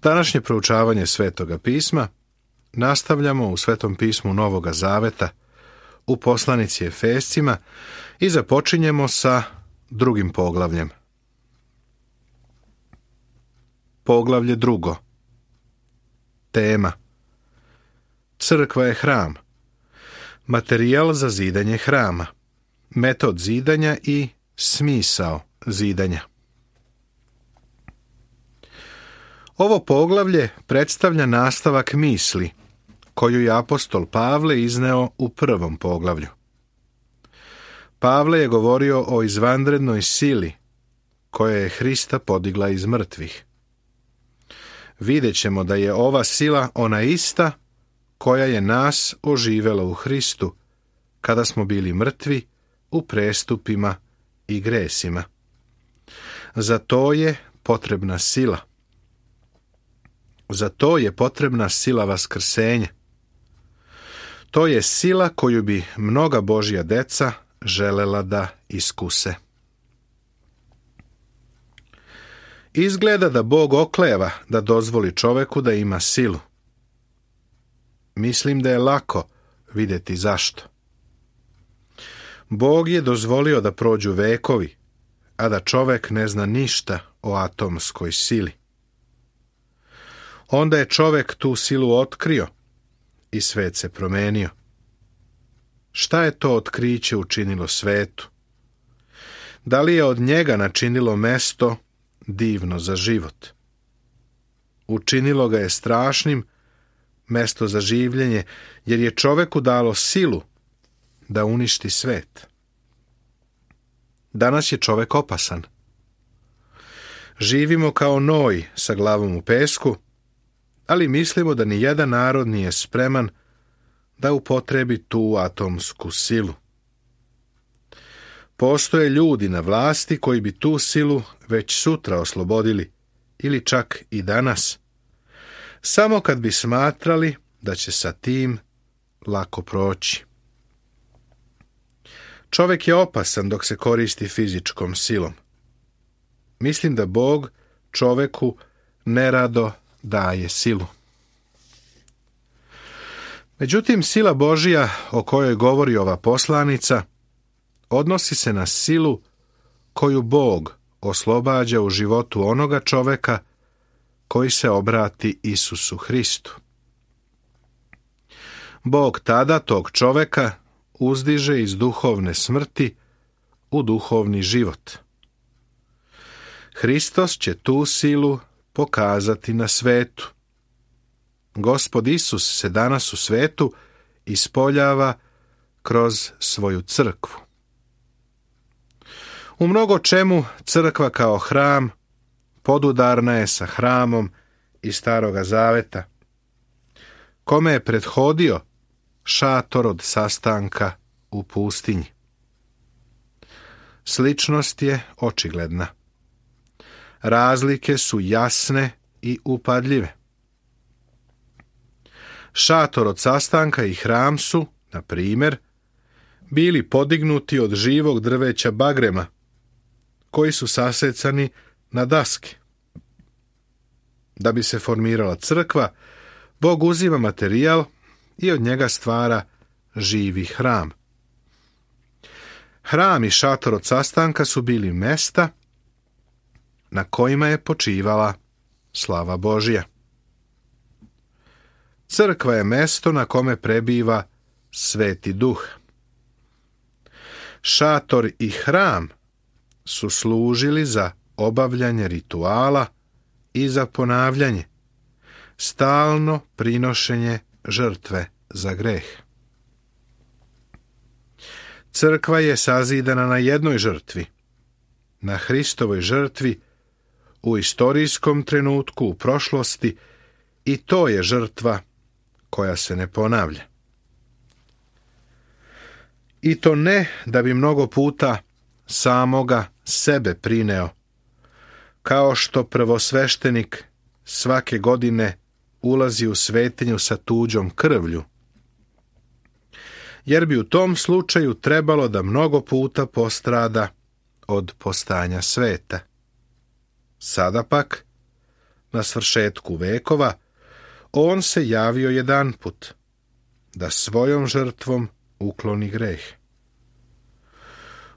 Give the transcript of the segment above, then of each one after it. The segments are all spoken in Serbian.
Današnje proučavanje Svetoga pisma nastavljamo u Svetom pismu Novoga Zaveta u poslanici Efescima i započinjemo sa drugim poglavljem. Poglavlje 2. Tema: Crkva je hram. Materijal za zidanje hrama, metod zidanja i smisao zidanja. Ovo poglavlje predstavlja nastavak misli koju je apostol Pavle izneo u prvom poglavlju. Pavle je govorio o izvanrednoj sili koja je Hrista podigla iz mrtvih. Vidjet ćemo da je ova sila ona ista koja je nas oživela u Hristu kada smo bili mrtvi u prestupima i gresima. Za to je potrebna sila. Za to je potrebna sila vaskrsenja. To je sila koju bi mnoga Božja deca želela da iskuse. Izgleda da Bog okleva da dozvoli čoveku da ima silu. Mislim da je lako vidjeti zašto. Bog je dozvolio da prođu vekovi, a da čovek ne zna ništa o atomskoj sili. Onda je čovek tu silu otkrio i svet se promenio. Šta je to otkriće učinilo svetu? Da li je od njega načinilo mesto divno za život? Učinilo ga je strašnim, mesto za življenje, jer je čoveku dalo silu da uništi svet. Danas je čovek opasan. Živimo kao noj sa glavom u pesku, ali mislimo da ni jedan narod nije spreman da upotrebi tu atomsku silu. Postoje ljudi na vlasti koji bi tu silu već sutra oslobodili, ili čak i danas, samo kad bi smatrali da će sa tim lako proći. Čovjek je opasan dok se koristi fizičkom silom. Mislim da Bog čoveku nerado daje silu. Međutim, sila Božja o kojoj govori ova poslanica odnosi se na silu koju Bog oslobađa u životu onoga čoveka koji se obrati Isusu Hristu. Bog tada tog čoveka uzdiže iz duhovne smrti u duhovni život. Hristos će tu silu pokazati na svetu. Gospod Isus se danas u svetu ispoljava kroz svoju crkvu. U mnogo čemu crkva kao hram podudarna je sa hramom iz Staroga Zaveta, kome je prethodio šator od sastanka u pustinji. Sličnost je očigledna. Razlike su jasne i upadljive. Šator od sastanka i hram su, na primjer, bili podignuti od živog drveća bagrema, koji su sasecani na daske. Da bi se formirala crkva, Bog uzima materijal i od njega stvara živi hram. Hram i šator od sastanka su bili mesta na kojima je počivala slava Božja. Crkva je mesto na kome prebiva Sveti Duh. Šator i hram su služili za obavljanje rituala i za ponavljanje, stalno prinošenje žrtve za greh. Crkva je sazidana na jednoj žrtvi, na Hristovoj žrtvi u istorijskom trenutku u prošlosti, i to je žrtva koja se ne ponavlja. I to ne da bi mnogo puta samoga sebe prineo, kao što prvosveštenik svake godine ulazi u svetinju sa tuđom krvlju, jer bi u tom slučaju trebalo da mnogo puta postrada od postanja sveta. Sada pak na svršetku vekova, on se javio jedanput, da svojom žrtvom ukloni greh.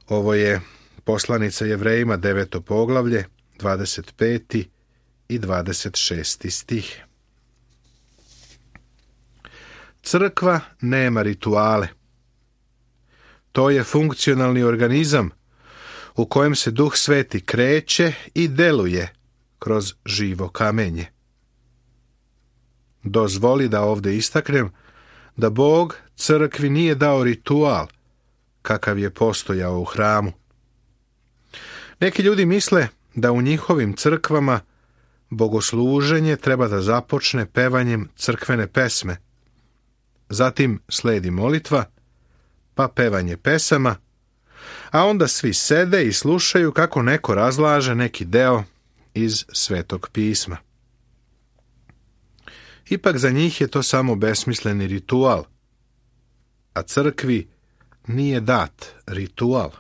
Ovo je poslanica Jevrejima 9. poglavlje, 25. i 26. stih. Crkva nema rituale. To je funkcionalni organizam u kojem se Duh Sveti kreće i deluje kroz živo kamenje. Dozvoli da ovdje istaknem da Bog crkvi nije dao ritual kakav je postojao u hramu. Neki ljudi misle da u njihovim crkvama bogosluženje treba da započne pevanjem crkvene pesme. Zatim sledi molitva, pa pevanje pesama, a onda svi sede i slušaju kako neko razlaže neki deo iz Svetog pisma. Ipak za njih je to samo besmisleni ritual, a crkvi nije dat ritual.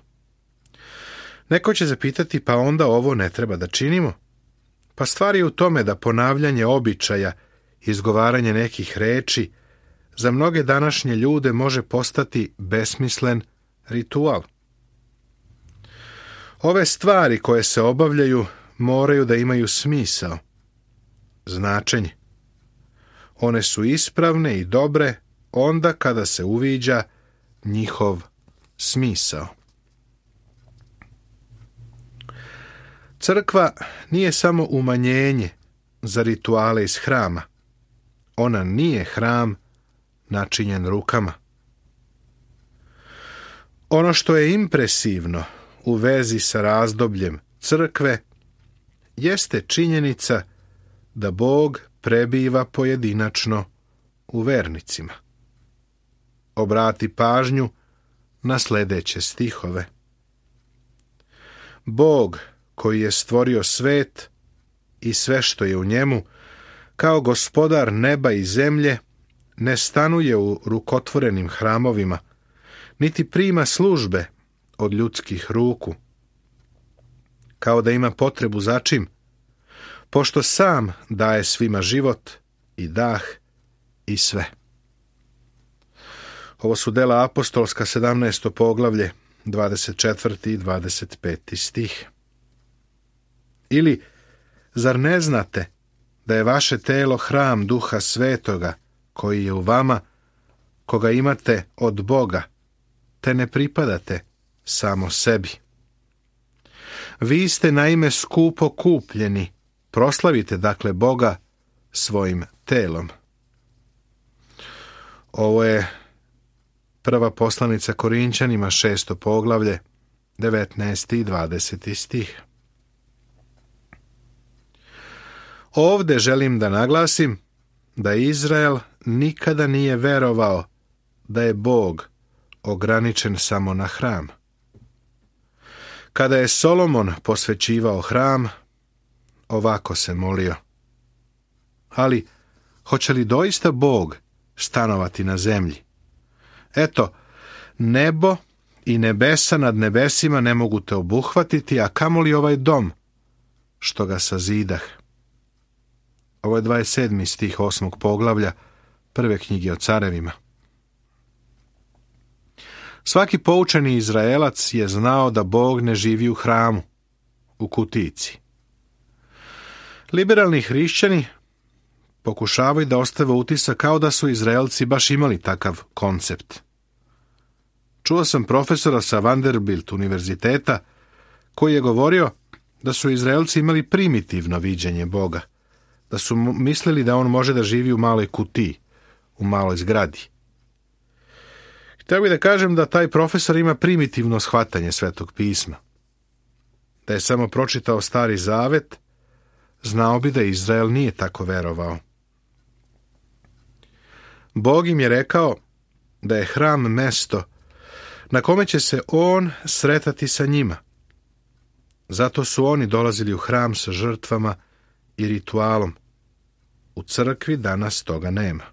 Neko će zapitati, pa onda ovo ne treba da činimo? Pa stvar je u tome da ponavljanje običaja, izgovaranje nekih reči, za mnoge današnje ljude može postati besmislen ritual. Ove stvari koje se obavljaju moraju da imaju smisao, značenje. One su ispravne i dobre onda kada se uviđa njihov smisao. Crkva nije samo umanjenje za rituale iz hrama. Ona nije hram načinjen rukama. Ono što je impresivno u vezi sa razdobljem crkve jeste činjenica da Bog prebiva pojedinačno u vernicima. Obrati pažnju na sljedeće stihove. Bog koji je stvorio svet i sve što je u njemu, kao gospodar neba i zemlje, ne stanuje u rukotvorenim hramovima, niti prima službe od ljudskih ruku, kao da ima potrebu za čim, pošto sam daje svima život i dah i sve. Ovo su dela apostolska 17. poglavlje, 24. i 25. stih. Ili, zar ne znate da je vaše telo hram Duha Svetoga, koji je u vama, koga imate od Boga, te ne pripadate samo sebi? Vi ste naime skupo kupljeni, proslavite dakle Boga svojim telom. Ovo je prva poslanica Korinćanima 6. poglavlje, 19. i 20. stih. Ovde želim da naglasim da Izrael nikada nije verovao da je Bog ograničen samo na hram. Kada je Solomon posvećivao hram, ovako se molio: ali hoće li doista Bog stanovati na zemlji? Eto, nebo i nebesa nad nebesima ne mogu te obuhvatiti, a kamoli ovaj dom što ga sazidah. Ovo je 27. stih 8. poglavlja prve knjige o carevima. Svaki poučeni Izraelac je znao da Bog ne živi u hramu, u kutici. Liberalni hrišćani pokušavaju da ostave utisak kao da su Izraelci baš imali takav koncept. Čuo sam profesora sa Vanderbilt univerziteta koji je govorio da su Izraelci imali primitivno viđenje Boga, da su mislili da on može da živi u maloj kutiji, u maloj zgradi. Htio bih da kažem da taj profesor ima primitivno shvatanje Svetog pisma. Da je samo pročitao Stari Zavet, znao bi da Izrael nije tako verovao. Bog im je rekao da je hram mesto na kome će se on sretati sa njima. Zato su oni dolazili u hram sa žrtvama i ritualom. U crkvi danas toga nema.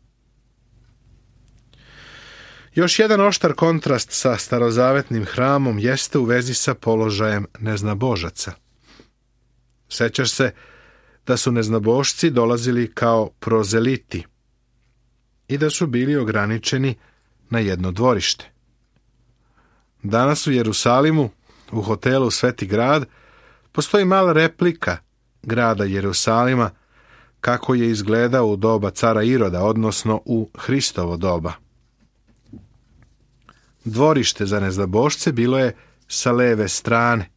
Još jedan oštar kontrast sa starozavetnim hramom jeste u vezi sa položajem neznabožaca. Sećaš se da su neznabošci dolazili kao prozeliti i da su bili ograničeni na jedno dvorište. Danas u Jerusalimu, u hotelu Sveti grad, postoji mala replika grada Jerusalima kako je izgledao u doba cara Iroda, odnosno u Hristovo doba. Dvorište za neznabošce bilo je sa leve strane,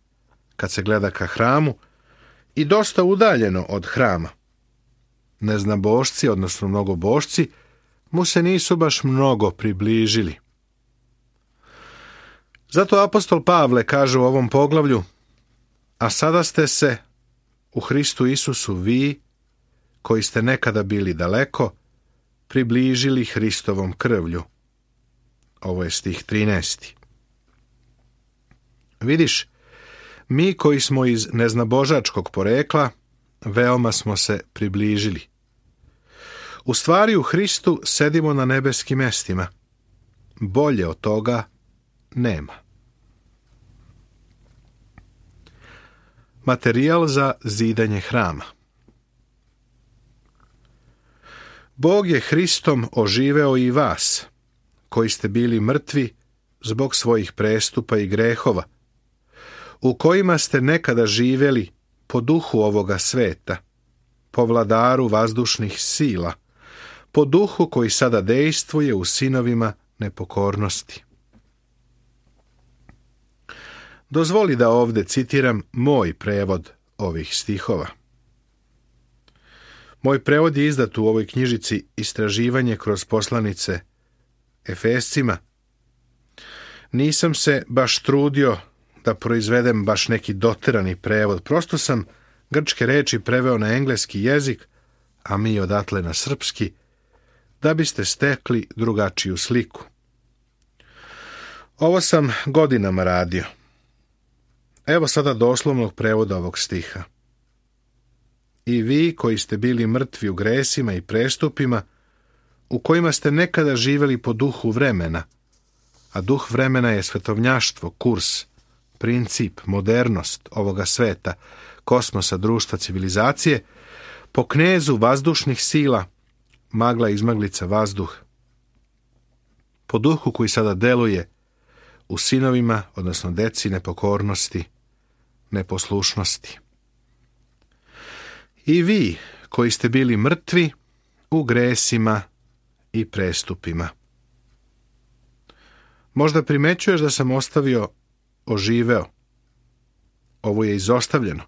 kad se gleda ka hramu, i dosta udaljeno od hrama. Neznabošci, odnosno mnogobošci, mu se nisu baš mnogo približili. Zato apostol Pavle kaže u ovom poglavlju: a sada ste se u Hristu Isusu vi, koji ste nekada bili daleko, približili Hristovom krvlju. Ovo je stih 13. Vidiš, mi koji smo iz neznabožačkog porekla, veoma smo se približili. U stvari u Hristu sedimo na nebeskim mestima. Bolje od toga nema. Materijal za zidanje hrama. Bog je Hristom oživeo i vas, koji ste bili mrtvi zbog svojih prestupa i grehova, u kojima ste nekada živjeli po duhu ovoga sveta, po vladaru vazdušnih sila, po duhu koji sada dejstvuje u sinovima nepokornosti. Dozvoli da ovdje citiram moj prevod ovih stihova. Moj prevod je izdat u ovoj knjižici Istraživanje kroz poslanice Efescima. Nisam se baš trudio da proizvedem baš neki doterani prevod. Prosto sam grčke reči preveo na engleski jezik, a mi odatle na srpski, da biste stekli drugačiju sliku. Ovo sam godinama radio. Evo sada doslovnog prevoda ovog stiha. I vi koji ste bili mrtvi u gresima i prestupima, u kojima ste nekada živjeli po duhu vremena, a duh vremena je svetovnjaštvo, kurs, princip, modernost ovoga sveta, kosmosa, društva, civilizacije, po knezu vazdušnih sila, magla izmaglica vazduh, po duhu koji sada deluje u sinovima, odnosno deci nepokornosti, neposlušnosti. I vi koji ste bili mrtvi u gresima i prestupima. Možda primećuješ da sam ostavio oživeo. Ovo je izostavljeno.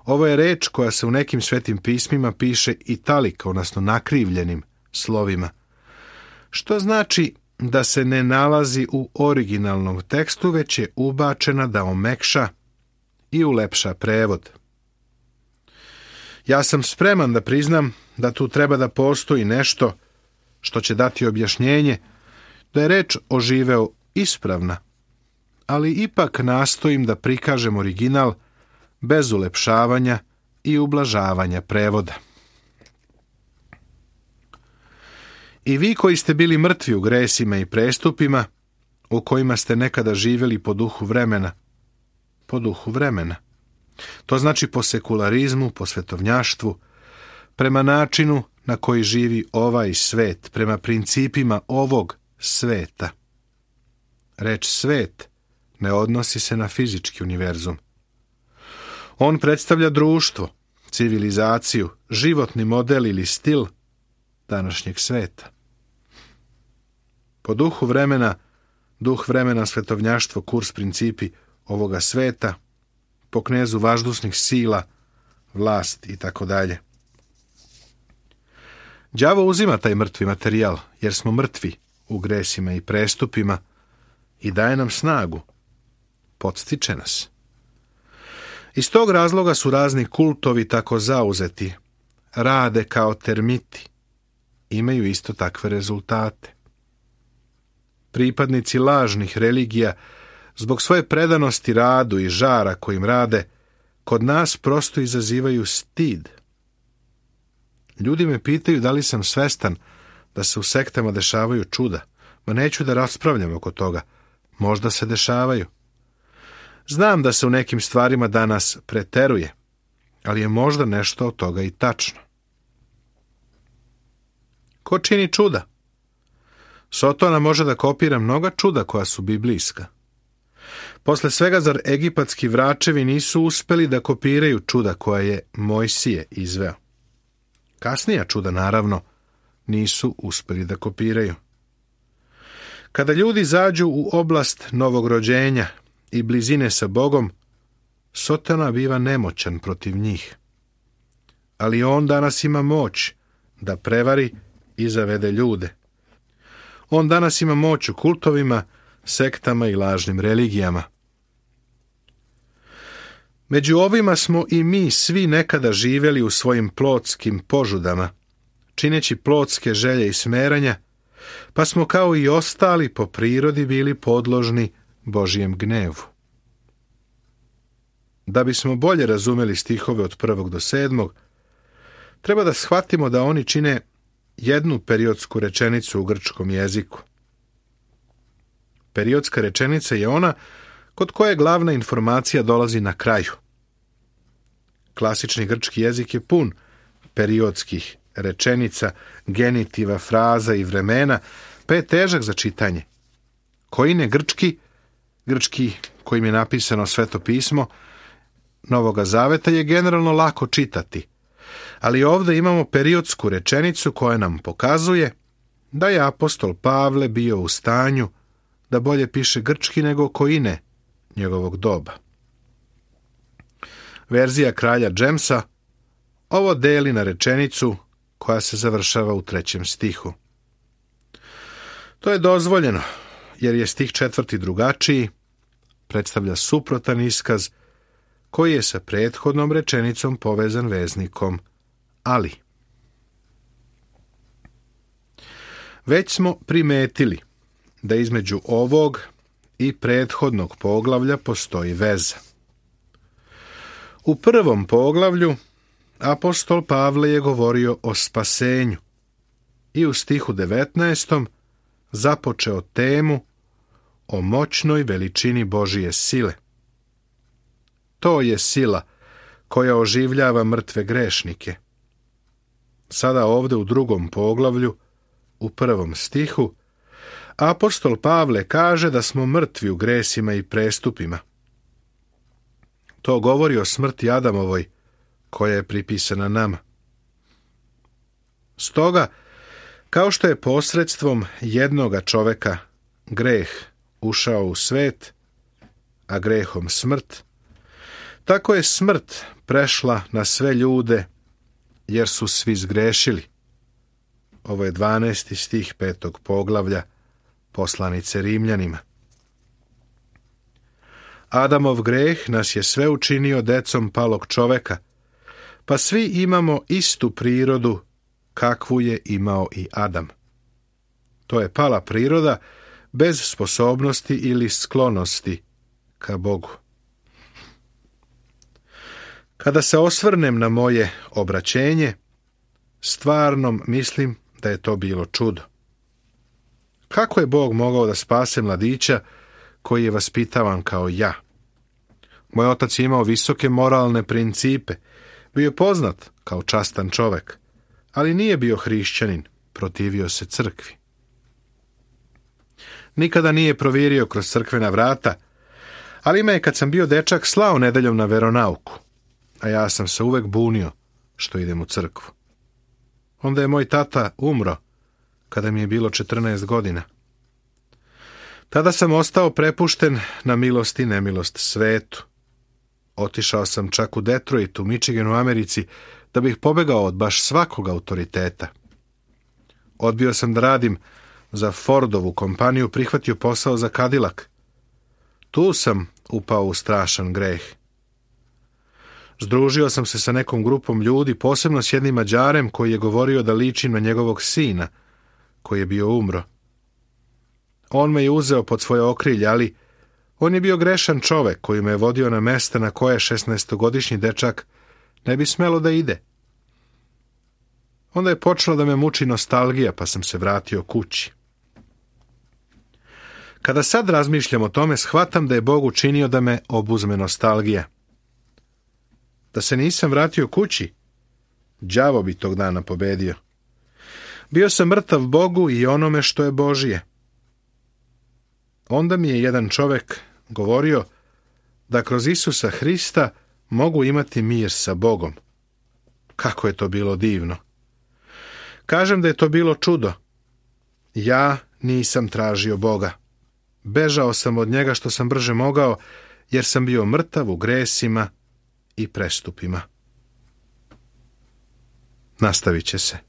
Ovo je reč koja se u nekim svetim pismima piše italika, odnosno nakrivljenim slovima, što znači da se ne nalazi u originalnom tekstu, već je ubačena da omekša i ulepša prevod. Ja sam spreman da priznam da tu treba da postoji nešto što će dati objašnjenje da je reč oživeo ispravna, ali ipak nastojim da prikažem original bez ulepšavanja i ublažavanja prevoda. I vi koji ste bili mrtvi u gresima i prestupima, u kojima ste nekada živjeli po duhu vremena, po duhu vremena. To znači po sekularizmu, po svetovnjaštvu, prema načinu na koji živi ovaj svet, prema principima ovog sveta. Reč svet ne odnosi se na fizički univerzum. On predstavlja društvo, civilizaciju, životni model ili stil današnjeg sveta. Po duhu vremena, duh vremena, svetovnjaštvo, kurs, principi ovoga sveta, po knezu vazdušnih sila, vlast i tako dalje. Đavo uzima taj mrtvi materijal, jer smo mrtvi u gresima i prestupima, i daje nam snagu, podstiče nas. Iz tog razloga su razni kultovi tako zauzeti, rade kao termiti, imaju isto takve rezultate. Pripadnici lažnih religija, zbog svoje predanosti radu i žara kojim rade, kod nas prosto izazivaju stid. Ljudi me pitaju da li sam svestan da se u sektama dešavaju čuda. Ma neću da raspravljam oko toga. Možda se dešavaju. Znam da se u nekim stvarima danas preteruje. ali je možda nešto od toga i tačno. Ko čini čuda? Sotona može da kopira mnoga čuda koja su biblijska. Posle svega, zar egipatski vračevi nisu uspeli da kopiraju čuda koja je Mojsije izveo? Kasnija čuda, naravno, nisu uspeli da kopiraju. Kada ljudi zađu u oblast novog rođenja i blizine sa Bogom, Sotona biva nemoćan protiv njih. Ali on danas ima moć da prevari i zavede ljude. On danas ima moć u kultovima, sektama i lažnim religijama. Među ovima smo i mi svi nekada živjeli u svojim plotskim požudama, čineći plotske želje i smeranja, pa smo kao i ostali po prirodi bili podložni Božijem gnevu. Da bismo bolje razumeli stihove od 1. do 7. treba da shvatimo da oni čine jednu periodsku rečenicu u grčkom jeziku. Periodska rečenica je ona kod koje glavna informacija dolazi na kraju. Klasični grčki jezik je pun periodskih rečenica, genitiva, fraza i vremena, pa je težak za čitanje. Koine grčki kojim je napisano Sveto pismo Novoga Zaveta, je generalno lako čitati, ali ovdje imamo periodsku rečenicu koja nam pokazuje da je apostol Pavle bio u stanju da bolje piše grčki nego koine njegovog doba. Verzija kralja Jamesa ovo deli na rečenicu koja se završava u 3. stihu. To je dozvoljeno, jer je stih 4. drugačiji, predstavlja suprotan iskaz koji je sa prethodnom rečenicom povezan veznikom ali. Već smo primetili da između ovog i prethodnog poglavlja postoji veza. U 1. poglavlju apostol Pavle je govorio o spasenju i u stihu 19. započeo temu o moćnoj veličini Božije sile. To je sila koja oživljava mrtve grešnike. Sada ovdje u 2. poglavlju, u 1. stihu, apostol Pavle kaže da smo mrtvi u gresima i prestupima. To govori o smrti Adamovoj, koja je pripisana nama. Stoga, kao što je posredstvom jednoga čoveka greh ušao u svet, a grehom smrt, tako je smrt prešla na sve ljude, jer su svi zgrešili. Ovo je 12. stih 5. poglavlja poslanice Rimljanima. Adamov greh nas je sve učinio decom palog čoveka, pa svi imamo istu prirodu kakvu je imao i Adam. To je pala priroda bez sposobnosti ili sklonosti ka Bogu. Kada se osvrnem na moje obraćenje, stvarno mislim da je to bilo čudo. Kako je Bog mogao da spase mladića koji je vaspitavan kao ja? Moj otac je imao visoke moralne principe, bio je poznat kao častan čovek, ali nije bio hrišćanin, protivio se crkvi. Nikada nije provirio kroz crkvena vrata, ali me je kad sam bio dečak slao nedeljom na veronauku, a ja sam se uvek bunio što idem u crkvu. Onda je moj tata umro kada mi je bilo 14 godina. Tada sam ostao prepušten na milost i nemilost svetu. Otišao sam čak u Detroit, u Michiganu, Americi, da bih pobegao od baš svakog autoriteta. Odbio sam da radim za Fordovu kompaniju, prihvatio posao za Cadillac. Tu sam upao u strašan greh. Združio sam se sa nekom grupom ljudi, posebno s jednim Mađarem koji je govorio da ličim na njegovog sina, koji je bio umro. On me je uzeo pod svoje okrilje, ali on je bio grešan čovek koji me je vodio na mesta na koje 16-godišnji dečak ne bi smelo da ide. Onda je počela da me muči nostalgija, pa sam se vratio kući. Kada sad razmišljam o tome, shvatam da je Bog učinio da me obuzme nostalgija. Da se nisam vratio kući, đavo bi tog dana pobedio. Bio sam mrtav Bogu i onome što je Božije. Onda mi je jedan čovek govorio da kroz Isusa Hrista mogu imati mir sa Bogom. Kako je to bilo divno. Kažem da je to bilo čudo. Ja nisam tražio Boga. Bežao sam od njega što sam brže mogao, jer sam bio mrtav u gresima i prestupima. Nastavit će se.